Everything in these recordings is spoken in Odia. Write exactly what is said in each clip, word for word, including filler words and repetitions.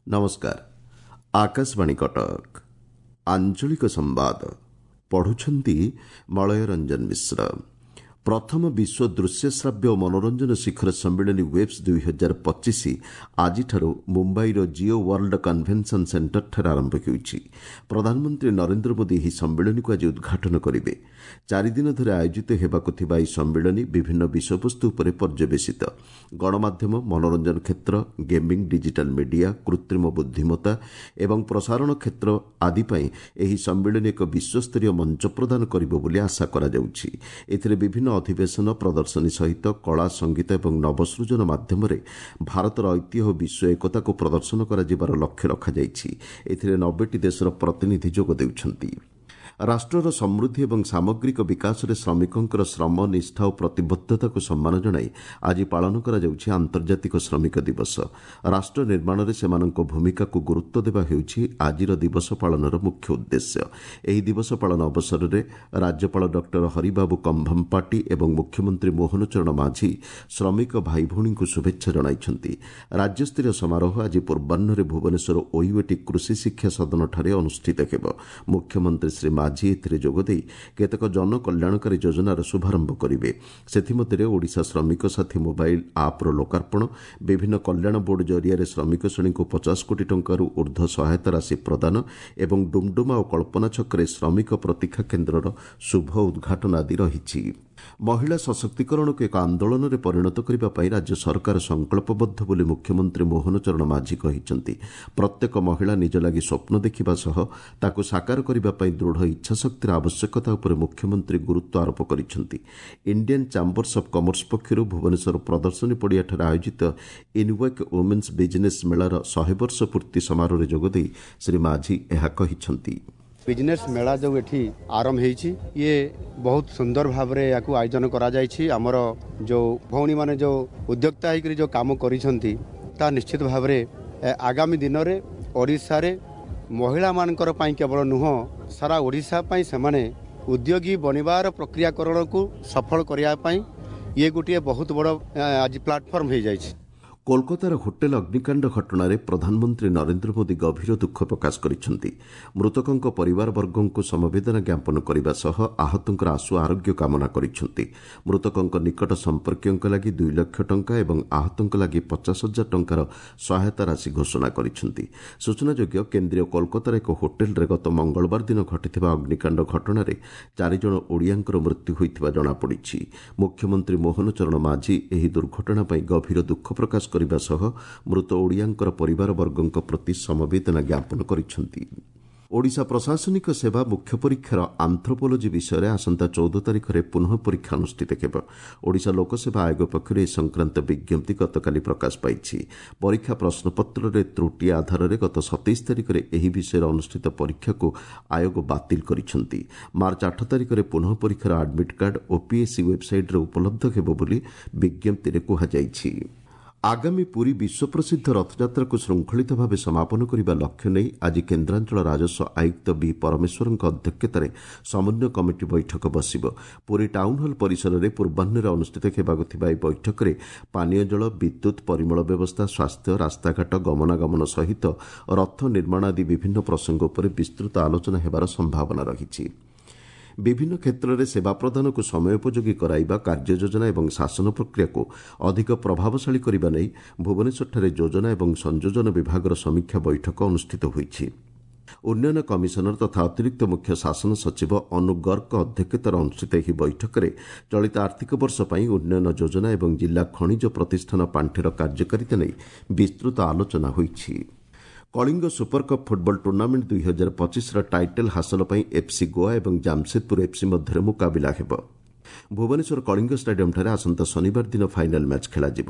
ନମସ୍କାର ଆକାଶବାଣୀ କଟକ ଆଞ୍ଚଳିକ ସମ୍ବାଦ ପଢୁଛନ୍ତି ମଳୟ ରଞ୍ଜନ ମିଶ୍ର ପ୍ରଥମ ବିଶ୍ୱ ଦୃଶ୍ୟ ଶ୍ରାବ୍ୟ ଓ ମନୋରଞ୍ଜନ ଶିଖର ସମ୍ମିଳନୀ ୱେବ୍ସ ଦୁଇ ହଜାର ପଚିଶ ଆଜିଠାରୁ ମୁମ୍ବାଇର ଜିଓ ୱାର୍ଲଡ କନଭେନସନ୍ ସେଣ୍ଟରଠାରେ ଆରମ୍ଭ ହେଉଛି ପ୍ରଧାନମନ୍ତ୍ରୀ ନରେନ୍ଦ୍ର ମୋଦି ଏହି ସମ୍ମିଳନୀକୁ ଆଜି ଉଦ୍ଘାଟନ କରିବେ ଚାରିଦିନ ଧରି ଆୟୋଜିତ ହେବାକୁ ଥିବା ଏହି ସମ୍ମିଳନୀ ବିଭିନ୍ନ ବିଷୟବସ୍ତୁ ଉପରେ ପର୍ଯ୍ୟବେସିତ ଗଣମାଧ୍ୟମ ମନୋରଞ୍ଜନ କ୍ଷେତ୍ର ଗେମିଂ ଡିଜିଟାଲ ମିଡିଆ କୃତ୍ରିମ ବୁଦ୍ଧିମତ୍ତା ଏବଂ ପ୍ରସାରଣ କ୍ଷେତ୍ର ଆଦି ପାଇଁ ଏହି ସମ୍ମିଳନୀ ଏକ ବିଶ୍ୱସ୍ତରୀୟ ମଞ୍ଚ ପ୍ରଦାନ କରିବ ବୋଲି ଆଶା କରାଯାଉଛି ଏଥିରେ ବିଭିନ୍ନ ଅଧିବେଶନ ପ୍ରଦର୍ଶନୀ ସହିତ କଳା ସଙ୍ଗୀତ ଏବଂ ନବସୃଜନ ମାଧ୍ୟମରେ ଭାରତର ଐତିହ୍ୟ ଓ ବିଶ୍ୱ ଏକତାକୁ ପ୍ରଦର୍ଶନ କରାଯିବାର ଲକ୍ଷ୍ୟ ରଖାଯାଇଛି ଏଥିରେ ନବେଟି ଦେଶର ପ୍ରତିନିଧି ଯୋଗ ଦେଉଛନ୍ତି ରାଷ୍ଟ୍ରର ସମୃଦ୍ଧି ଏବଂ ସାମଗ୍ରିକ ବିକାଶରେ ଶ୍ରମିକଙ୍କର ଶ୍ରମ ନିଷ୍ଠା ଓ ପ୍ରତିବଦ୍ଧତାକୁ ସମ୍ମାନ ଜଣାଇ ଆଜି ପାଳନ କରାଯାଉଛି ଆନ୍ତର୍ଜାତିକ ଶ୍ରମିକ ଦିବସ ରାଷ୍ଟ୍ର ନିର୍ମାଣରେ ସେମାନଙ୍କ ଭୂମିକାକୁ ଗୁରୁତ୍ୱ ଦେବା ହେଉଛି ଆଜିର ଦିବସ ପାଳନର ମୁଖ୍ୟ ଉଦ୍ଦେଶ୍ୟ ଏହି ଦିବସ ପାଳନ ଅବସରରେ ରାଜ୍ୟପାଳ ଡକ୍ଟର ହରିବାବୁ କମ୍ଭମପାଟି ଏବଂ ମୁଖ୍ୟମନ୍ତ୍ରୀ ମୋହନ ଚରଣ ମାଝୀ ଶ୍ରମିକ ଭାଇଭଉଣୀଙ୍କୁ ଶୁଭେଚ୍ଛା ଜଣାଇଛନ୍ତି ରାଜ୍ୟସ୍ତରୀୟ ସମାରୋହ ଆଜି ପୂର୍ବାହ୍ନରେ ଭୁବନେଶ୍ୱର ଓୟୁଏଟି କୃଷି ଶିକ୍ଷା ସଦନଠାରେ ଅନୁଷ୍ଠିତ ହେବ ମୁଖ୍ୟମନ୍ତ୍ରୀ ଶ୍ରୀ ମାଝୀ ଏଥିରେ ଯୋଗଦେଇ କେତେକ ଜନକଲ୍ୟାଣକାରୀ ଯୋଜନାର ଶୁଭାରମ୍ଭ କରିବେ ସେଥିମଧ୍ୟରେ ଓଡ଼ିଶା ଶ୍ରମିକ ସାଥୀ ମୋବାଇଲ୍ ଆପ୍ର ଲୋକାର୍ପଣ ବିଭିନ୍ନ କଲ୍ୟାଣ ବୋର୍ଡ ଜରିଆରେ ଶ୍ରମିକ ଶ୍ରେଣୀଙ୍କୁ ପଚାଶ କୋଟି ଟଙ୍କାରୁ ଉର୍ଦ୍ଧ୍ୱ ସହାୟତା ରାଶି ପ୍ରଦାନ ଏବଂ ଡୁମଡୁମା ଓ କଳ୍ପନା ଛକରେ ଶ୍ରମିକ ପ୍ରତୀକ୍ଷା କେନ୍ଦ୍ରର ଶୁଭ ଉଦ୍ଘାଟନ ଆଦି ରହିଛି ମହିଳା ସଶକ୍ତିକରଣକୁ ଏକ ଆନ୍ଦୋଳନରେ ପରିଣତ କରିବା ପାଇଁ ରାଜ୍ୟ ସରକାର ସଂକଳ୍ପବଦ୍ଧ ବୋଲି ମୁଖ୍ୟମନ୍ତ୍ରୀ ମୋହନ ଚରଣ ମାଝୀ କହିଛନ୍ତି ପ୍ରତ୍ୟେକ ମହିଳା ନିଜ ଲାଗି ସ୍ୱପ୍ନ ଦେଖିବା ସହ ତାକୁ ସାକାର କରିବା ପାଇଁ ଦୃଢ଼ ଇଚ୍ଛାଶକ୍ତିର ଆବଶ୍ୟକତା ଉପରେ ମୁଖ୍ୟମନ୍ତ୍ରୀ ଗୁରୁତ୍ୱ ଆରୋପ କରିଛନ୍ତି ଇଣ୍ଡିଆନ୍ ଚାମ୍ବର୍ସ ଅଫ୍ କମର୍ସ ପକ୍ଷରୁ ଭୁବନେଶ୍ୱର ପ୍ରଦର୍ଶନୀ ପଡ଼ିଆଠାରେ ଆୟୋଜିତ ଇନୱେକ୍ ଓମେନ୍ସ ବିଜିନେସ୍ ମେଳାର ଶହେ ବର୍ଷ ପୂର୍ତ୍ତି ସମାରୋହରେ ଯୋଗଦେଇ ଶ୍ରୀ ମାଝୀ ଏହା କହିଛନ୍ତି ବିଜନେସ୍ ମେଳା ଯେଉଁ ଏଠି ଆରମ୍ଭ ହେଇଛି ଇଏ ବହୁତ ସୁନ୍ଦର ଭାବରେ ୟାକୁ ଆୟୋଜନ କରାଯାଇଛି ଆମର ଯେଉଁ ଭଉଣୀମାନେ ଯେଉଁ ଉଦ୍ୟୋକ୍ତା ହେଇକରି ଯେଉଁ କାମ କରିଛନ୍ତି ତାହା ନିଶ୍ଚିତ ଭାବରେ ଆଗାମୀ ଦିନରେ ଓଡ଼ିଶାରେ ମହିଳାମାନଙ୍କର ପାଇଁ କେବଳ ନୁହଁ ସାରା ଓଡ଼ିଶା ପାଇଁ ସେମାନେ ଉଦ୍ୟୋଗୀ ବନିବାର ପ୍ରକ୍ରିୟାକରଣକୁ ସଫଳ କରିବା ପାଇଁ ଇଏ ଗୋଟିଏ ବହୁତ ବଡ଼ ଆଜି ପ୍ଲାଟଫର୍ମ ହେଇଯାଇଛି କୋଲକାତାର ହୋଟେଲ ଅଗ୍ନିକାଣ୍ଡ ଘଟଣାରେ ପ୍ରଧାନମନ୍ତ୍ରୀ ନରେନ୍ଦ୍ର ମୋଦି ଗଭୀର ଦୁଃଖ ପ୍ରକାଶ କରିଛନ୍ତି ମୃତକଙ୍କ ପରିବାରବର୍ଗଙ୍କୁ ସମବେଦନା ଜ୍ଞାପନ କରିବା ସହ ଆହତଙ୍କର ଆଶୁ ଆରୋଗ୍ୟ କାମନା କରିଛନ୍ତି ମୃତକଙ୍କ ନିକଟ ସମ୍ପର୍କୀୟଙ୍କ ଲାଗି ଦୁଇ ଲକ୍ଷ ଟଙ୍କା ଏବଂ ଆହତଙ୍କ ଲାଗି ପଚାଶ ହଜାର ଟଙ୍କାର ସହାୟତା ରାଶି ଘୋଷଣା କରିଛନ୍ତି ସୂଚନାଯୋଗ୍ୟ କେନ୍ଦ୍ରୀୟ କୋଲକାତାର ଏକ ହୋଟେଲରେ ଗତ ମଙ୍ଗଳବାର ଦିନ ଘଟିଥିବା ଅଗ୍ନିକାଣ୍ଡ ଘଟଣାରେ ଚାରିଜଣ ଓଡ଼ିଆଙ୍କର ମୃତ୍ୟୁ ହୋଇଥିବା ଜଣାପଡ଼ିଛି ମୁଖ୍ୟମନ୍ତ୍ରୀ ମୋହନ ଚରଣ ମାଝୀ ଏହି ଦୁର୍ଘଟଣା ପାଇଁ ଗଭୀର ଦୁଃଖ ପ୍ରକାଶ କରିବା ସହ ମୃତ ଓଡ଼ିଆଙ୍କର ପରିବାରବର୍ଗଙ୍କ ପ୍ରତି ସମବେଦନା ଜ୍ଞାପନ କରିଛନ୍ତି ଓଡ଼ିଶା ପ୍ରଶାସନିକ ସେବା ମୁଖ୍ୟ ପରୀକ୍ଷାର ଆନ୍ଥ୍ରୋପୋଲୋଜି ବିଷୟରେ ଆସନ୍ତା ଚଉଦ ତାରିଖରେ ପୁନଃ ପରୀକ୍ଷା ଅନୁଷ୍ଠିତ ହେବ ଓଡ଼ିଶା ଲୋକସେବା ଆୟୋଗ ପକ୍ଷରୁ ଏ ସଂକ୍ରାନ୍ତ ବିଜ୍ଞପ୍ତି ଗତକାଲି ପ୍ରକାଶ ପାଇଛି ପରୀକ୍ଷା ପ୍ରଶ୍ନପତ୍ରରେ ତ୍ରୁଟି ଆଧାରରେ ଗତ ସତେଇଶ ତାରିଖରେ ଏହି ବିଷୟରେ ଅନୁଷ୍ଠିତ ପରୀକ୍ଷାକୁ ଆୟୋଗ ବାତିଲ କରିଛନ୍ତି ମାର୍ଚ୍ଚ ଆଠ ତାରିଖରେ ପୁନଃ ପରୀକ୍ଷାର ଆଡମିଟ୍ କାର୍ଡ ଓପିଏସ୍ସି ୱେବ୍ସାଇଟ୍ରେ ଉପଲବ୍ଧ ହେବ ବୋଲି ବିଜ୍ଞପ୍ତିରେ କୁହାଯାଇଛି ଆଗାମୀ ପୁରୀ ବିଶ୍ୱପ୍ରସିଦ୍ଧ ରଥଯାତ୍ରାକୁ ଶୃଙ୍ଖଳିତ ଭାବେ ସମାପନ କରିବା ଲକ୍ଷ୍ୟ ନେଇ ଆଜି କେନ୍ଦ୍ରାଞ୍ଚଳ ରାଜସ୍ୱ ଆୟୁକ୍ତ ବି ପରମେଶ୍ୱରଙ୍କ ଅଧ୍ୟକ୍ଷତାରେ ସମନ୍ୱୟ କମିଟି ବୈଠକ ବସିବ ପୁରୀ ଟାଉନ୍ ହଲ୍ ପରିସରରେ ପୂର୍ବାହ୍ନରେ ଅନୁଷ୍ଠିତ ହେବାକୁ ଥିବା ଏହି ବୈଠକରେ ପାନୀୟ ଜଳ ବିଦ୍ୟୁତ୍ ପରିମଳ ବ୍ୟବସ୍ଥା ସ୍ୱାସ୍ଥ୍ୟ ରାସ୍ତାଘାଟ ଗମନାଗମନ ସହିତ ରଥ ନିର୍ମାଣ ଆଦି ବିଭିନ୍ନ ପ୍ରସଙ୍ଗ ଉପରେ ବିସ୍ତୃତ ଆଲୋଚନା ହେବାର ସମ୍ଭାବନା ରହିଛି ବିଭିନ୍ନ କ୍ଷେତ୍ରରେ ସେବା ପ୍ରଦାନକୁ ସମୟୋପଯୋଗୀ କରାଇବା କାର୍ଯ୍ୟଯୋଜନା ଏବଂ ଶାସନ ପ୍ରକ୍ରିୟାକୁ ଅଧିକ ପ୍ରଭାବଶାଳୀ କରିବା ନେଇ ଭୁବନେଶ୍ୱରଠାରେ ଯୋଜନା ଏବଂ ସଂଯୋଜନ ବିଭାଗର ସମୀକ୍ଷା ବୈଠକ ଅନୁଷ୍ଠିତ ହୋଇଛି ଉନ୍ନୟନ କମିଶନର ତଥା ଅତିରିକ୍ତ ମୁଖ୍ୟ ଶାସନ ସଚିବ ଅନୁ ଗର୍ଗଙ୍କ ଅଧ୍ୟକ୍ଷତାରେ ଅନୁଷ୍ଠିତ ଏହି ବୈଠକରେ ଚଳିତ ଆର୍ଥିକ ବର୍ଷ ପାଇଁ ଉନ୍ନୟନ ଯୋଜନା ଏବଂ ଜିଲ୍ଲା ଖଣିଜ ପ୍ରତିଷ୍ଠାନ ପାଣ୍ଠିର କାର୍ଯ୍ୟକାରିତା ନେଇ ବିସ୍ତୃତ ଆଲୋଚନା ହୋଇଛି Kalinga super cup football tournament ଦୁଇ ହଜାର ପଚିଶର ଟାଇଟଲ୍ ହାସଲ ପାଇଁ ଏଫ୍ସି ଗୋଆ ଏବଂ ଜାମସେଦପୁର ଏଫ୍ସି ମଧ୍ୟରେ ମୁକାବିଲା ହେବ ଭୁବନେଶ୍ୱର କଳିଙ୍ଗ ଷ୍ଟାଡିୟମ୍ଠାରେ ଆସନ୍ତା ଶନିବାର ଦିନ ଫାଇନାଲ୍ ମ୍ୟାଚ୍ ଖେଳାଯିବ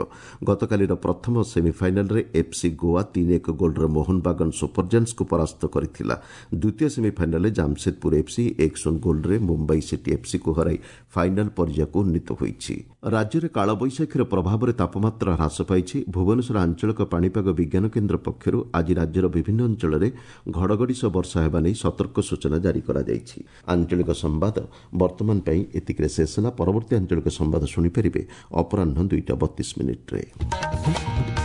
ଗତକାଲିର ପ୍ରଥମ ସେମିଫାଇନାଲ୍ରେ ଏଫ୍ସି ଗୋଆ ତିନି ଏକ ଗୋଲ୍ରେ ମୋହନବାଗନ ସୁପରଜାଣ୍ଟସ୍କୁ ପରାସ୍ତ କରିଥିଲା ଦ୍ୱିତୀୟ ସେମିଫାଇନାଲ୍ରେ ଜାମସେଦପୁର ଏଫ୍ସି ଏକ ଶୂନ ଗୋଲ୍ରେ ମୁମ୍ବାଇ ସିଟି ଏଫ୍ସିକୁ ହରାଇ ଫାଇନାଲ୍ ପର୍ଯ୍ୟାୟକୁ ଉନ୍ନୀତ ହୋଇଛି ରାଜ୍ୟରେ କାଳବୈଶାଖୀର ପ୍ରଭାବରେ ତାପମାତ୍ରା ହ୍ରାସ ପାଇଛି ଭୁବନେଶ୍ୱର ଆଞ୍ଚଳିକ ପାଣିପାଗ ବିଜ୍ଞାନ କେନ୍ଦ୍ର ପକ୍ଷରୁ ଆଜି ରାଜ୍ୟର ବିଭିନ୍ନ ଅଞ୍ଚଳରେ ଘଡ଼ଘଡ଼ି ସହ ବର୍ଷା ହେବା ନେଇ ସତର୍କ ସୂଚନା ଜାରି କରାଯାଇଛି ଆଞ୍ଚଳିକ ସମ୍ବାଦ ବର୍ତ୍ତମାନ ପାଇଁ ଏତିକିରେ ଶେଷ ହେଲା ପରବର୍ତ୍ତୀ ଆଞ୍ଚଳିକ ସମ୍ବାଦ ଶୁଣିପାରିବେ ଅପରାହ୍ନ ଦୁଇଟା ବତିଶ ମିନିଟ୍ରେ